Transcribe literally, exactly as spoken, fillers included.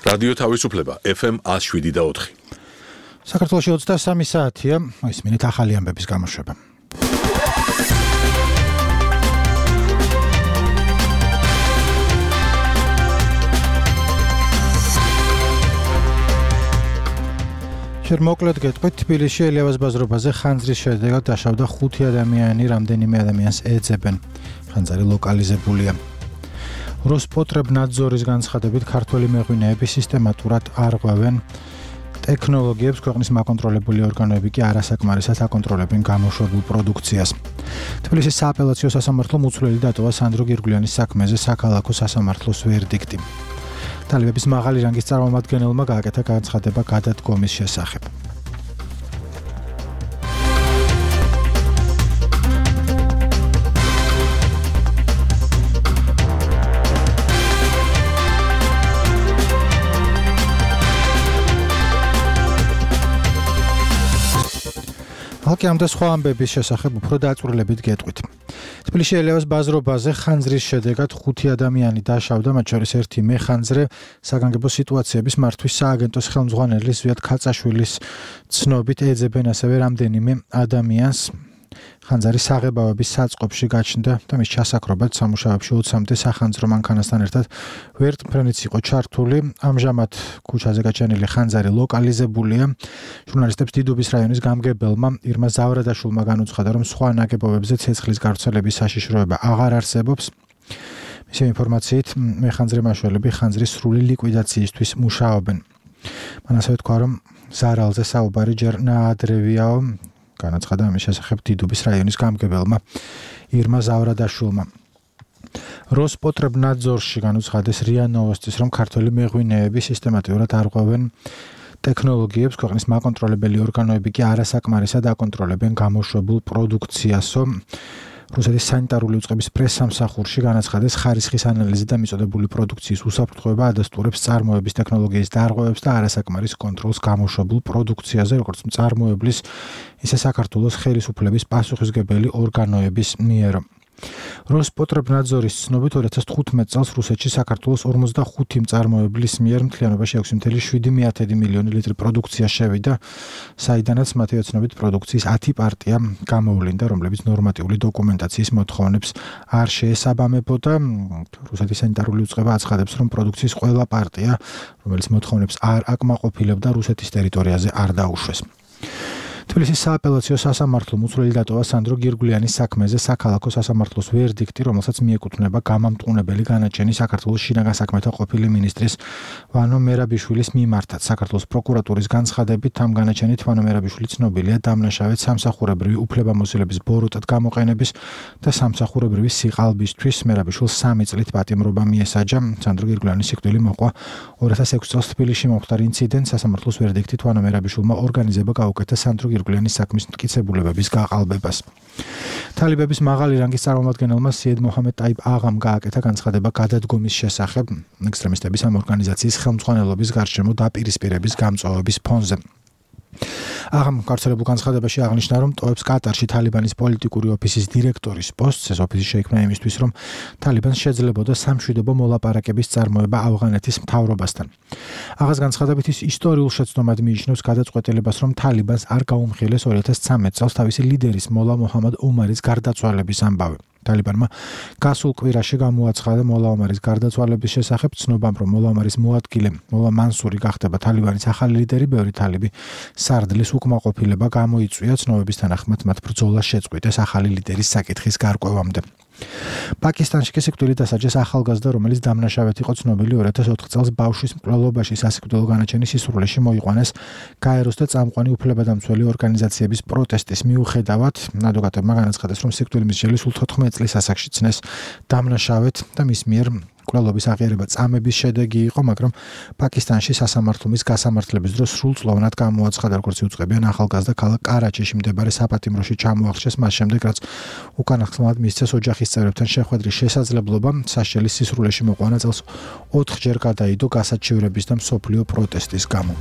რადიო თავისუფლება ეფ ემ one oh seven და four. საქართველოში ოცდასამი საათია, ისმინეთ ახალი ამბების გამოშვება. შენ მოკლედ გეტყვით, თბილისში ელიავას ბაზრობაზე ხანძრის შედეგად დაშავდა ხუთი ადამიანი, რამდენიმე ადამიანს ეძებენ. ხანძარი ლოკალიზებულია. როსპოტრებნადზორის განცხადებით, ქართველი მეღვინეები სისტემატურად არღვევენ ტექნოლოგიებს, ქვეყნის მაკონტროლებული ორგანოები კი არასაკმარისად აკონტროლებენ გამოშვებულ პროდუქციას. თბილისის სააპელაციო სასამართლომ უცვლელი დატოვა სანდრო გირგვლიანის საქმეზე საქალაქო სასამართლოს ვერდიქტი. ტალიბების მაღალი რანგის წარმომადგენელმა გააკეთა განცხადება გადადგომის შესახებ. ხალხი ამ და სხვა ამბების შესახებ უფრო დაწვრილებით გეტყვით. თბილისში ელიავას ბაზრობაზე ხანძრის შედეგად ხუთი ადამიანი დაშავდა, მათ შორის ერთი მეხანძრე. საგანგებო სიტუაციების მართვის სააგენტოს ხელმძღვანელი ზვიად ქაწაშვილის ცნობით ეძებენ ასევე რამდენიმე ადამიანს. ხანძარი საღებავების საწყობში გაჩნდა და მის ჩასაქრობად სამუშაოებში ოცამდე სახანძრო მანქანასთან ერთად ვერტმფრენიც იყო ჩართული. ამჟამად ქუჩაზე გაჩენილი ხანძარი ლოკალიზებულია. ჟურნალისტებს დიდუბის რაიონის გამგებელმა ირმა ზავრადაშვილმა განუცხადა, რომ სხვა ნაგებობებზე ცეცხლის გავრცელების საშიშროება აღარ არსებობს. მისი ინფორმაციით, მეხანძრე მაშველები ხანძრის სრული ლიკვიდაციისთვის მუშაობენ. მან ასევე თქვა, რომ ზარალზე საუბარი ჯერ ნაადრევიაო. განაცხადა ამის შესახებ დიდუბის რაიონის გამგებელმა ირმა ზავრადაშვილმა. როსპოტრებნადზორში განუცხადეს რია ნოვოსტის, რომ ქართველი მეღვინეები სისტემატურად არღვევენ ტექნოლოგიებს, ქვეყნის მაკონტროლებელი ორგანოები კი არასაკმარისად აკონტროლებენ გამოშვებულ პროდუქციასო. რუსეთის სანიტარული უწყების პრესსამსახურში განაცხადეს ხარისხის ანალიზი და მიწოდებული პროდუქციის უსაფრთხოება ადასტურებს წარმოების ტექნოლოგიის დარღვევებს და არასაკმარის კონტროლს გამოშვებულ პროდუქციაზე, როგორც მწარმოებლის, ისე საქართველოს ხელისუფლების პასუხისმგებელი ორგანოების მიერ. როსპოტრებნადზორის ცნობით ორი ათას თხუთმეტ წელს რუსეთში საქართველოს ორმოცდახუთი მწარმოებლის მიერ მთლიანობაში ექვსი ათეული შვიდი მილიონი ლიტრი პროდუქცია შევიდა, საიდანაც მათი ოცნობით პროდუქციის ათი პარტია გამოვლინდა, რომლებიც ნორმატიული დოკუმენტაციის მოთხოვნებს არ შეესაბამებოდა. რუსეთის სანიტარული უწყება აცხადებს, რომ პროდუქციის ყველა პარტია, რომელიც მოთხოვნებს არ აკმაყოფილებდა, რუსეთის ტერიტორიაზე არ დაუშვეს. თბილისის სააპელაციო სასამართლომ უცვლელი დატოვა სანდრო გირგვლიანის საქმეზე საქალაქო სასამართლოს ვერდიქტი, რომელსაც მიეკუთვნება გამამტყუნებელი განაჩენი საქართველოს შინაგან საქმეთა ყოფილი მინისტრის ვანო მერაბიშვილის მიმართაც. საქართველოს პროკურატურის განცხადებით, ამ განაჩენით ვანო მერაბიშვილი ცნობილია დამნაშავედ სამსახურებრივი უფლებამოსილების ბოროტად გამოყენების და სამსახურებრივი სიყალბისთვის. მერაბიშვილს სამი წლით პატიმრობა მიესაჯა. სანდრო გირგვლიანის სიკვდილი მოყვა ორი ათას ექვსი წელს თბილისში მომხდარ ინციდენტს. სასამართლოს ვერდიქტით ვანო მერაბიშვილმა ორგანიზება გაუკეთა სანდრო გირგვლიანის საქმის მტკიცებულებების გაყალბებას. თალიბების მაღალი რანგის წარმომადგენელმა სიედ მოჰამედ ტაიბ აღამ გააკეთა განცხადება გადადგომის შესახებ ექსტრემისტების ამ ორგანიზაციის ხელმძღვანელობის გარშემო დაპირისპირების გამწვავების ფონზე. აღამ გავრცელებულ განცხადებაში აღნიშნა, რომ ტოვებს კატარში თალიბანის პოლიტიკური ოფისის დირექტორის პოსტს. ეს ოფისი შეიქმნა იმისთვის, რომ თალიბანს შეძლებოდა სამშვიდობო მოლაპარაკების წარმოება ავღანეთის მთავრობასთან. აღას განცხადებით ის ისტორიულ შეცდომად მიიჩნევს გადაწყვეტილებას, რომ თალიბანს არ გაუმხილეს ორი ათას ცხრამეტ წელს თავისი ლიდერის მოლა მოჰამად ომარის გარდაცვალების ამბავი. თალიბანმა გასულ კვირაში გამოაცხადა მოლა ომარის გარდაცვალების შესახებ, ცნობამ, რომ მოლა ომარის მოადგილე მოლა მანსური გახდება თალიბანის ახალი ლიდერი. ბევრი თალიბი სარდლის უკმაყოფილება გამოიწვია, ცნობების თანახმად მათ ბრძოლა შეწყვიტეს ახალი ლიდერის საკითხის გარკვევამდე. პაკისტანში კი სიკვდილით დასაჯეს ახალგაზრდა, რომელიც დამნაშავედ იყო ცნობილი ორი ათას ოთხ წელს ბავშვის მკვლელობაში სასიკვდილო განაჩენის სისრულეში მოიყვანეს გაეროს და წამყვანი უფლებადამცველი ორგანიზაციების პროტესტის მიუხედავად. ადვოკატებმა განაცხადეს, რომ სიკვდილი მსჯელი სულ თოთხმეტ წლის ასაკში ცნეს დამნაშავედ და მის მიერ მკვლელობის აღიარება წამების შედეგი იყო, მაგრამ პაკისტანში სასამართლომის გასამართლების დროს სრულწლოვნად გამოაცხადა, როგორც იუწყებიან ახალგაზრდა ქალაქ კარაჩიში მდებარე საპატიმროში ჩამოახშეს, მას შემდეგ რაც უკანასკნელად მისცეს ოჯახის წევრებთან შეხვედრის შესაძლებლობა. სასჯელის სისრულეში მოყვანა წელს ოთხჯერ გადაიდო გასაჩივრების და მსოფლიო პროტესტის გამო.